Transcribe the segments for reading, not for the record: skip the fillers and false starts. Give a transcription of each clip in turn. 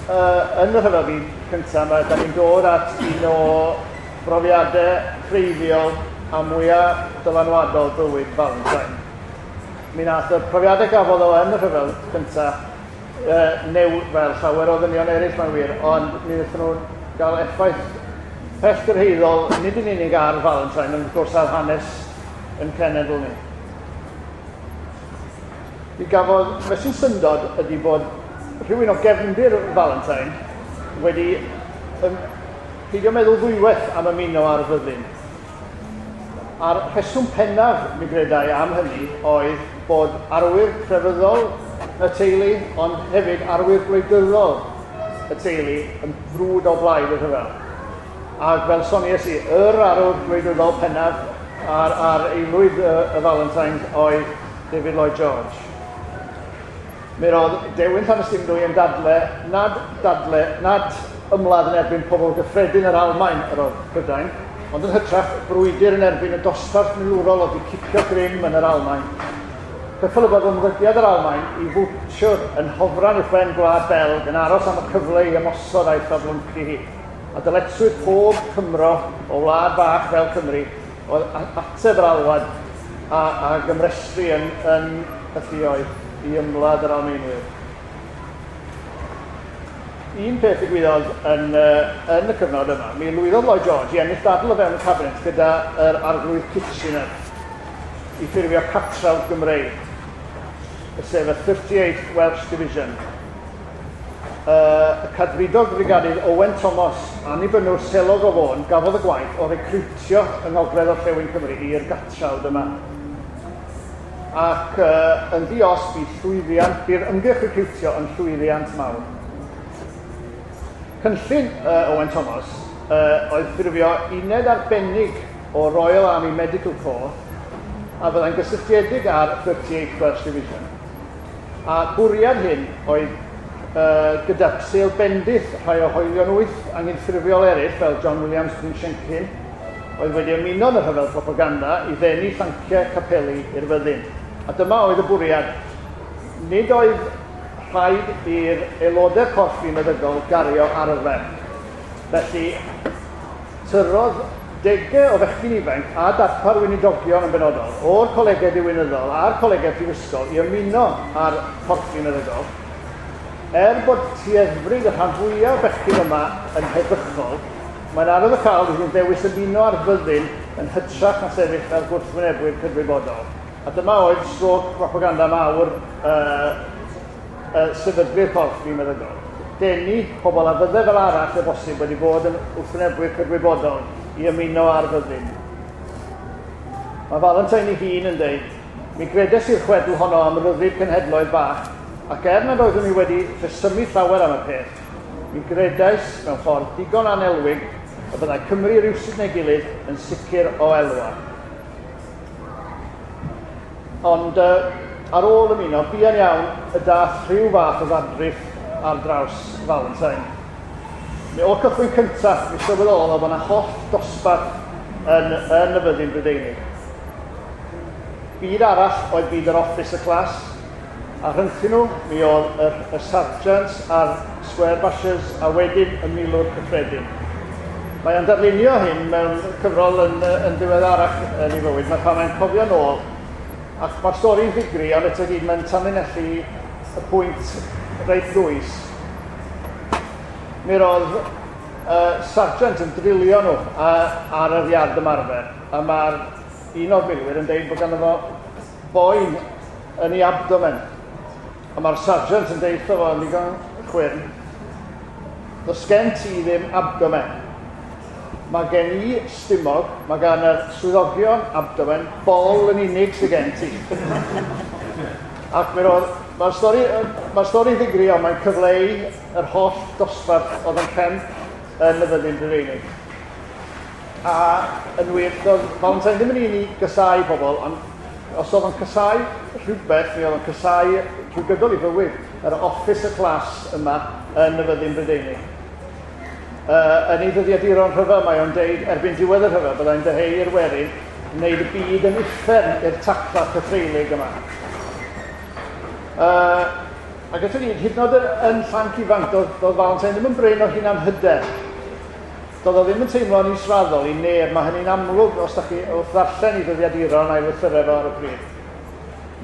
yn y Rhyfel Byd Cyntaf yma, da ni'n dod at un o brofiadau creiddiol a mwyaf dylanwadol bywyd Valentine. Mi nath y profiadau gafodd o yn y Rhyfel Cyntaf new, fel llawer o ddynion eraill mae'n wir, ond mi wnaethon nhw gael effaith pellgyrhaeddol nid yn unig ar Valentine, ond wrth gwrs ar hanes yn cenedl ni. Mi gafodd, beth sy'n syndod ydy bod rhywun o gefndir Valentine wedi peidio meddwl ddwywaith am ymuno â'r fyddin. A'r rheswm pennaf, mi gredai, am hynny oedd bod arwyr crefyddol y teulu, ond hefyd arwyr gwleidyddol y teulu yn frwd o blaid y rhyfel. Ac fel soniais i, yr arwr gwleidyddol pennaf ar aelwyd y Valentines oedd David Lloyd George. Mi roedd Dewin Llanystumdwy yn dadle nad dadle, nad ymladd yn erbyn pobl gyffredin yr Almaen yr oedd Prydain, ond yn hytrach brwydr yn erbyn y dosbarth milwrol oedd wedi cipio grym yn yr Almaen. Cyffelybodd ymddygiad yr Almaen i fwtshwr yn hofran uwchben Gwlad Belg yn aros am y cyfle i ymosod a'i thaflyncu hi. A dyletswydd pob Cymro o wlad fach fel Cymru oedd ateb yr alwad a gymrestru yn y lluoedd i ymladd yr Almaenwyr. Un peth ddigwyddodd yn y cyfnod yma, mi lwyddodd Lloyd George i ennill dadl o fewn y cabinet gyda yr arglwydd Kitchener i ffurfio catrawd Gymreig, sef y 38th Welsh Division. Y cadfridog brigadydd Owen Thomas, annibynnwr selog o Fôn, gafodd y gwaith o recriwtio yng Ngogledd Orllewin Cymru i'r gatrawd yma. Ac yn ddi-os bu llwyddiant, bu'r ymgyrch recriwtio yn llwyddiant mawr. Cynllun Owen Thomas oedd ffurfio uned arbennig o Royal Army Medical Corps a fyddai'n gysylltiedig â'r 38th Welsh Division. A bwriad hyn oedd gyda sêl bendith rhai o hoelion wyth anghydffurfiol eraill fel John Williams Brynsiencyn, oedd wedi ymuno yn y rhyfel propaganda i ddenu llanciau capeli i'r fyddin. A dyma oedd y bwriad. Nid oedd rhaid i'r aelodau'r corfflu meddygol gario arfer. Felly, tyrrodd degau o fechgyn ifanc a darpar weinidogion yn benodol o'r colegau diwinyddol a'r colegau prifysgol i ymuno â'r corfflu meddygol. Er bod tueddfryd y rhan fwyaf o bechgyn yma yn heddychol, mae'n arwyddocaol iddyn nhw ddewis ymuno â'r fyddin yn hytrach na sefyll fel gwrthwynebwyr cydwybodol. A dyma oedd strôc propaganda mawr sefydlu'r corfflu meddygol. Denu pobl a fydde fel arall o bosib wedi bod yn wrthwynebwyr cydwybodol i ymuno â'r fyddin. Mae Valentine ei hun yn dweud, mi gredes i'r chwedl honno am ryddid cenhedloedd bach, ac er nad oeddwn i wedi rhesymu llawer am y peth, mi gredais mewn ffordd digon anelwig y byddai Cymru rywsut neu gilydd yn sicr o elwa. Ond ar ôl ymuno, buan iawn y dath rhyw fath o ddadriff ar draws Valentine. Mi o'r cychwyn cyntaf, mi sylweddolodd o bod yna holl dosbarth yn y fyddin Brydeinig. Byd arall oedd byd yr officer class, a rhyngthyn nhw mi oedd y sergeants a'r square bashers a wedyn y milwr cyffredin. Mae o'n darlunio hyn mewn cyfrol yn ddiweddarach yn ei fywyd, mae pan mae'n cofio nôl, ac mae'r stori'n ddigri, ond eto gyd mae'n tanlinellu y pwynt reit ddwys. Mi roedd sergeant yn drilio nhw ar yr iard ymarfer, a mae'r un o'r milwyr yn deud bod ganddo fo boen yn ei abdomen. A mae'r sergeant yn deud wrtho fo yn ddigon chwyrn, does gen ti ddim abdomen. Mae gen i stumog, mae gan yr swyddogion abdomen, bol yn unig sydd gen ti. Ac mi roedd, mae'r stori, mae'r stori ddigri, ond mae'n cyfleu yr holl dosbarth oedd yn rhemp yn y fyddin Brydeinig. A yn wir, doedd Valentine ddim yn un i gysau pobl, ond os oedd o'n cysau rhywbeth, mi oedd o'n cysau trwy gydol ei fywyd, yr officer class yma yn y fyddin Brydeinig. Yn ei ddyddiaduron rhyfel, mae o'n deud erbyn diwedd y rhyfel, byddai'n dyheu i'r werin wneud y byd yn uffern i'r tacla cythreulig yma. Ac eto gyd, hyd yn oed yn llanc ifanc, doedd Valentine ddim yn brin o hunan hyder. Doedd o ddim yn teimlo'n israddol i neb, mae hynny'n amlwg os da chi wrth ddarllen i ddyddiaduron a'i lythyrau fo ar y pryd.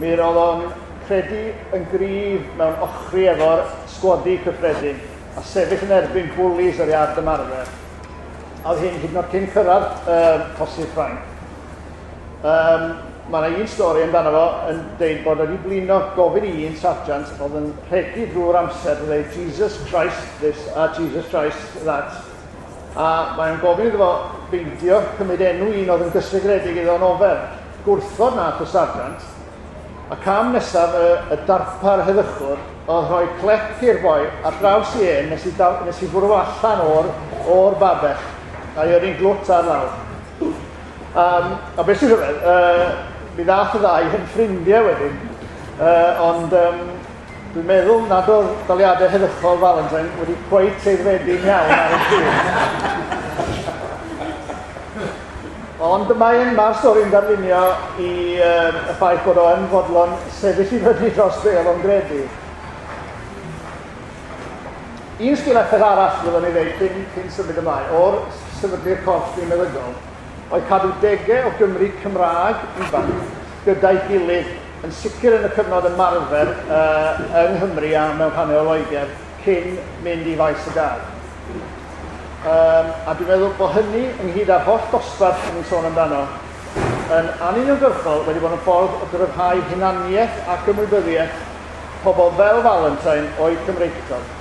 Mi roedd o'n credu yn gryf mewn ochri efo'r sgwadi cyffredin a sefyll yn erbyn bwlis yr iard ymarfer. A oedd hyn hyd yn oed cyn cyrraedd Cosydd Ffrainc. Mae yna un stori amdano fo yn deud bod wedi blino gofyn i un sarjant oedd yn rhegi drwy'r amser yn dweud "Jesus Christ this" a "Jesus Christ that". A mae'n gofyn iddo fo beidio cymryd enw un oedd yn gysegredig iddo yn ofer. Gwrthod nath y sarjant. A cam nesaf y darpar heddychwr oedd rhoi clec i'r boi ar draws i en nes i fwrw allan o'r babell a i yrru'n glwt ar lawr. A beth sy'n rhyfedd, mi ddath y ddau yn ffrindiau wedyn, ond dwi'n meddwl nad oedd daliadau heddychol Valentine wedi cweit aeddfedu'n iawn ar y pryd. Ond mae'r stori'n darlunio i y ffaith bod o yn fodlon sefyll i fyny dros be oedd o'n gredu. Un sgil effaith arall fyddwn ni ddeud cyn symud ymlaen, o'r sefydlu'r corff meddygol, oedd cadw degau o Gymry Cymraeg ifanc gyda'i gilydd, yn sicr yn y cyfnod ymarfer yng Nghymru a mewn rhannau o Loegr cyn mynd i faes y gad. A dwi'n meddwl bod hynny, ynghyd â'r holl dosbarth yn ni'n sôn amdano, yn anuniongyrchol wedi bod yn ffordd o gryfhau hunaniaeth ac ymwybyddiaeth pobl fel Valentine o'i Cymreictod.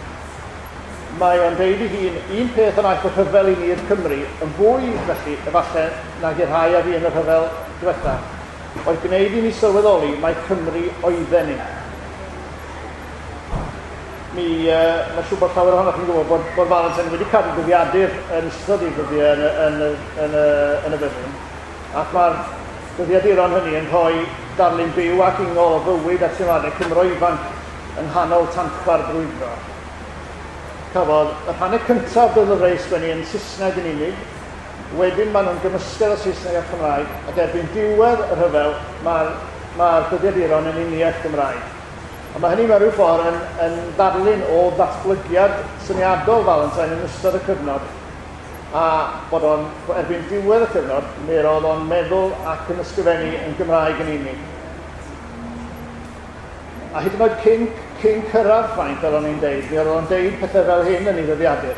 Mae o'n deud ei hun, un peth yn aeth y rhyfel i ni'r Cymru, yn fwy felly, efallai, nag i'r rhai a fi yn y rhyfel diwetha, oedd gwneud i ni sylweddoli mai Cymru oedden ni. Mae'n siŵr bod llawer ohonoch chi'n gwybod bod Valentine wedi cadw dyddiadur yn ystod ei ddyddiau yn y fyddin. Ac mae'r dyddiaduron hynny yn rhoi darlun byw ac ingol o fywyd a teimladau Cymro ifanc yng nghanol tanchfa'r brwydro. Cafodd y rhannau cyntaf o'r lyfrau sgwennu yn Saesneg yn unig, wedyn maen nhw'n gymysgedd o Saesneg a Chymraeg, ac erbyn diwedd y rhyfel mae'r dyddiaduron yn uniaith Gymraeg. A mae hynny mewn rhyw ffordd yn ddarlun o ddatblygiad syniadol Valentine yn ystod y cyfnod, a bod o'n, erbyn diwedd y cyfnod, mi roedd o'n meddwl ac yn ysgrifennu yn Gymraeg yn unig. A hyd yn oed cyn cyrraedd Ffrainc, fel o'n i'n deud, mi oedd o'n deud pethau fel hyn yn ei ddyddiadur.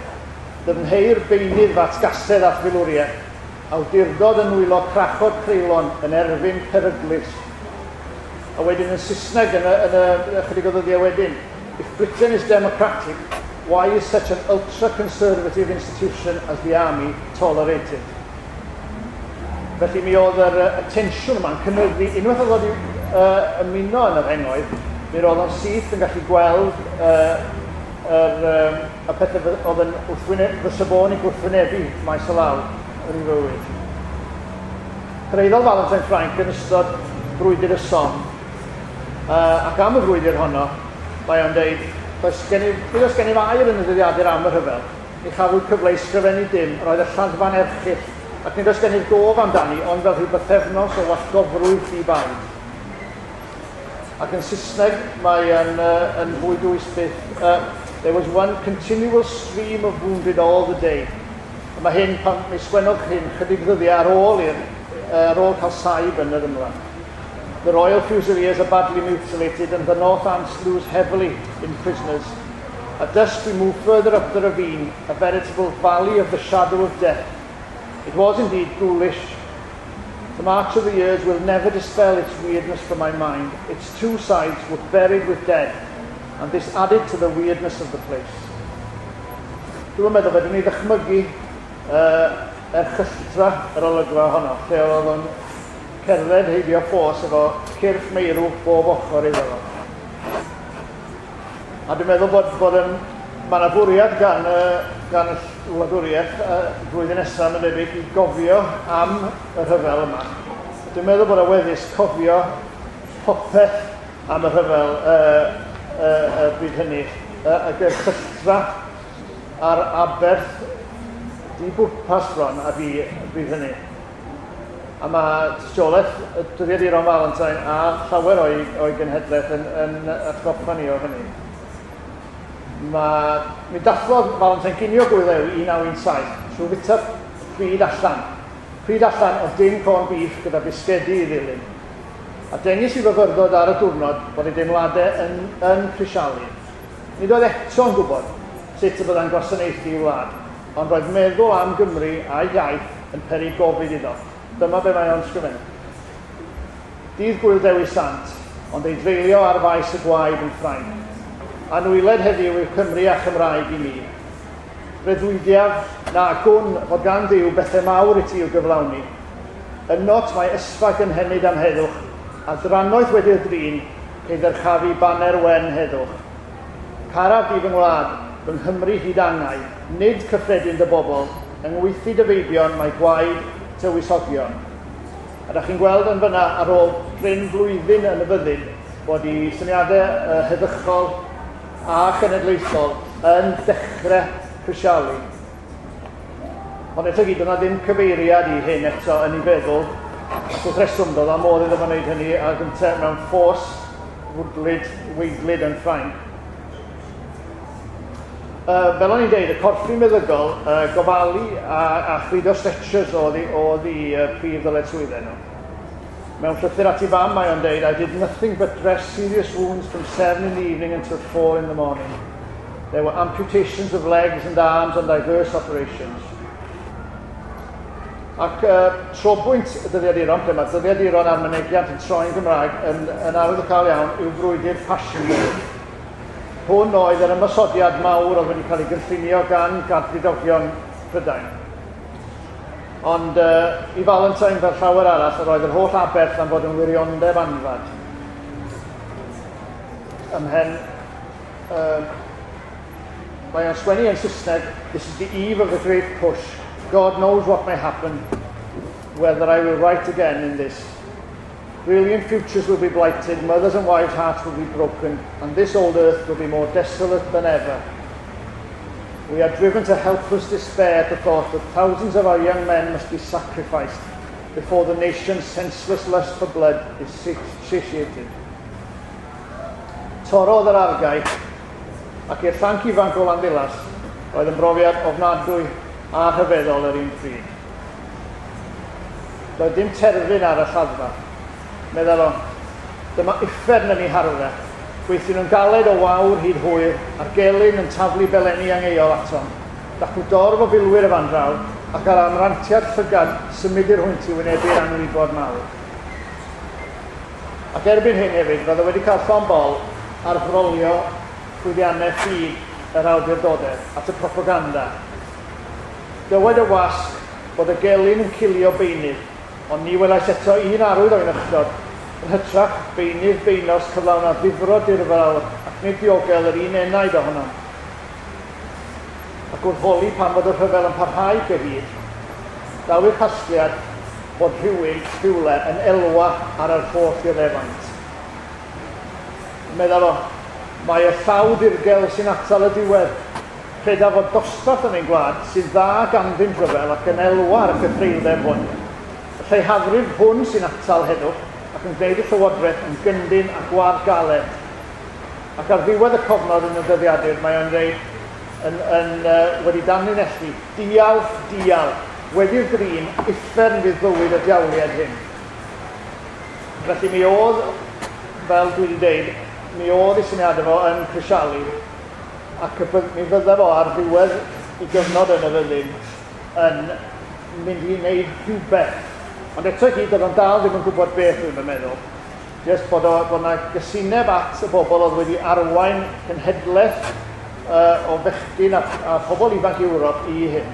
Dyfnheir beunydd f'atgasedd at filwriaeth, awdurdod yn nwylo crachod creulon yn erfyn peryglus. A wedyn yn Saesneg yn y chydig o ddyddiau wedyn, "If Britain is democratic, why is such an ultra-conservative institution as the army tolerated?" Felly mi oedd y tensiwn yma'n cynyddu, unwaith oedd wedi ymuno yn yr rhengoedd, mi roedd o'n syth yn gallu gweld y pethau oedd yn fysa fo'n ei gwrthwynebu maes o law yn ei fywyd. Cyrhaeddodd Valentine Ffrainc yn ystod brwydr y Somme, ac am y frwydr honno, mae o'n deud, "Nid oes gennyf air yn y dyddiadur am y rhyfel, ni chafwyd cyfle i sgrifennu dim, roedd y lladdfa'n erchyll, ac nid oes gennyf gof amdani, ond fel rhyw bythefnos o wallgofrwydd di-baid." Ac yn Saesneg mae yn fwy dwys byth, "There was one continual stream of wounded all the day." A mae hyn, pan mi sgwennodd hyn chydig ddyddiau ar ôl cael saib yn yr ymlaen. "The Royal Fusiliers are badly mutilated and the Northants lose heavily in prisoners. At dusk we move further up the ravine, a veritable valley of the shadow of death. It was indeed ghoulish. The march of the years will never dispel its weirdness from my mind. Its two sides were buried with dead, and this added to the weirdness of the place." Dwi'n meddwl fedrwn ni ddychmygu erchylltra yr olygfa honno, lle oedd o'n cerdded heibio ffos efo cyrff meirw bob ochr iddo fo. A dwi'n meddwl bod mae yna fwriad gan y wladwriaeth flwyddyn nesaf, mae'n debyg, i gofio am y rhyfel yma. Dwi'n meddwl bod aweddus cofio popeth am y rhyfel bryd hynny, ac yr erchylltra a'r aberth di bwrpas bron a fi bryd hynny. A mae tystiolaeth y dyddiaduron Valentine a llawer o'i genhedlaeth yn atgoffa ni o hynny. Mae, mi dathlodd Valentine ginio Gŵyl Ddewi 1917 trwy fwyta pryd allan. Pryd allan o dim corn beef gyda bisgedi i ddilyn. A dengys i fyfyrdod ar y diwrnod bod ei deimladau yn crisialu. Nid oedd eto'n gwybod sut y byddai'n gwasanaethu i wlad, ond roedd meddwl am Gymru a'i iaith yn peri gofid iddo. Dyma be mae o'n sgrifennu. Dydd Gŵyl Dewi Sant, ond ei dreulio ar faes y gwaed yn Ffrainc. Anwyled heddiw yw Cymru a Chymraeg i mi. Breuddwydiaf na gwn fod gan Dduw bethau mawr i ti i'w gyflawni. Ynot mae ysfa gynhenid am heddwch, a drannoeth wedi'r drin, cei ddyrchafu baner wen heddwch. Caraf di fy ngwlad, fy Nghymru hyd angau, nid cyffredin dy bobl, yng ngweithdy dy feibion mae gwaed tywysogion. A da chi'n gweld yn fyna ar ôl prin flwyddyn yn y fyddin bod i syniadau heddychol a chenedlaethol yn dechrau crisialu. Ond eto gyd, yna ddim cyfeiriad i hyn eto yn ei feddwl, ac wrth reswm doedd a modd iddo fo wneud hynny a gyntaf mewn ffos fwdlyd, weidlyd yn Ffrainc. Fel o'n i'n deud, y corffi meddygol, gofalu a chludo stretchers oedd i prif ddyletswyddau nhw. Mewn llythyr at ei fam mae o'n deud, "I did nothing but dress serious wounds from 7 in the evening until 4 in the morning. There were amputations of legs and arms and diverse operations." Ac trobwynt y dyddiaduron, lle mae dyddiaduron a'r mynegiant yn troi'n Gymraeg yn arwyddocaol iawn, yw frwydr Passchendaele. Hwn oedd yr ymosodiad mawr oedd wedi cael ei gynllunio gan gadfridogion Prydain. Ond i Valentine, fel llawer arall, yr oedd yr holl aberth am fod yn wiriondeb anfad. Ymhen, mae o'n sgwennu yn Saesneg, "This is the eve of the great push. God knows what may happen, whether I will write again in this. Brilliant futures will be blighted, mothers and wives' hearts will be broken, and this old earth will be more desolate than ever. We are driven to helpless despair at the thought that thousands of our young men must be sacrificed before the nation's senseless lust for blood is satiated." Torrodd yr argae, ac i'r llanc ifanc o Landdulas, roedd yn brofiad ofnadwy a rhyfeddol yr un pryd. Doedd dim terfyn ar y lladdfa. Meddwl o, dyma uffern yn ei harfau. Gweithion nhw'n galed o wawr hyd hwyr, a'r gelyn yn taflu belenni angeuol atom. Dacw dorf o filwyr y fan draw, ac ar amrantiad llygad symudir hwynt i wynebu'r anwybod mawr. Ac erbyn hyn hefyd, roedd o wedi cael llond bol ar frolio llwyddiannau ffug yr awdurdodau at y propaganda. Dywed y wasg bod y gelyn yn cilio beunydd, ond ni welais eto un arwydd o'i nychdod. Yn hytrach, beunydd beunos cyflawn a ddifrod dirfawr ac nid diogel yr un enaid ohonom. Ac wrth holi pam fod y rhyfel yn parhau cyhyd, daw i'r casgliad bod rhywun rhywle yn elwa ar yr holl ddioddefaint. Meddwl o, mae y llaw dirgel sy'n atal y diwedd. Credaf fod dosbarth yn ein gwlad sydd dda ganddynt rhyfel ac yn elwa ar y cythreuldeb hwn. Y lleihafrif hwn sy'n atal heddwch ac yn gwneud y llywodraeth yn gyndyn a gwad galed. Ac ar ddiwedd y cofnod yn y dyddiadur, mae o'n dweud, wedi danlinellu, "Dial, dial, wedi'r drin, uffern fydd bywyd y diawliad hyn." Felly mi oedd, fel dwi wedi dweud, mi oedd ei syniadau fo yn crisialu, ac mi fydda fo ar ddiwedd ei gyfnod yn y fyddin yn mynd i wneud rhywbeth. Ond eto i gyd, oedd o'n dal ddim yn gwybod beth, dwi'n meddwl. Just bod yna gysineb at y bobl oedd wedi arwain cenhedlaeth o fechgyn a pobl ifanc Ewrop i hyn.